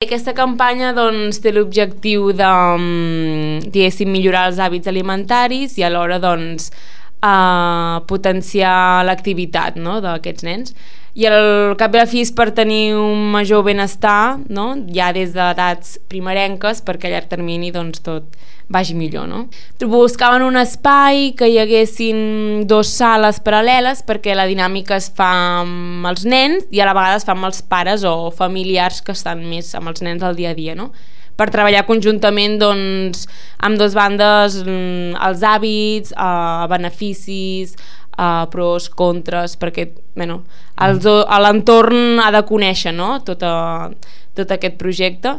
Aquesta campanya doncs, té l'objectiu de, diguéssim, millorar els hàbits alimentaris i alhora doncs, potenciar l'activitat, no?, d'aquests nens. I al cap i a la fi és per tenir un major benestar, no?, ja des d'edats primerenques, perquè a llarg termini doncs, tot vagi millor, no? Buscaven un espai que hi haguessin 2 sales paral·leles perquè la dinàmica es fa amb els nens i a la vegada es fa amb els pares o familiars que estan més amb els nens al dia a dia, no? Per treballar conjuntament doncs, amb 2 bandes els hàbits, beneficis, pros, contres, perquè bueno, l'entorn ha de conèixer, no?, tot aquest projecte.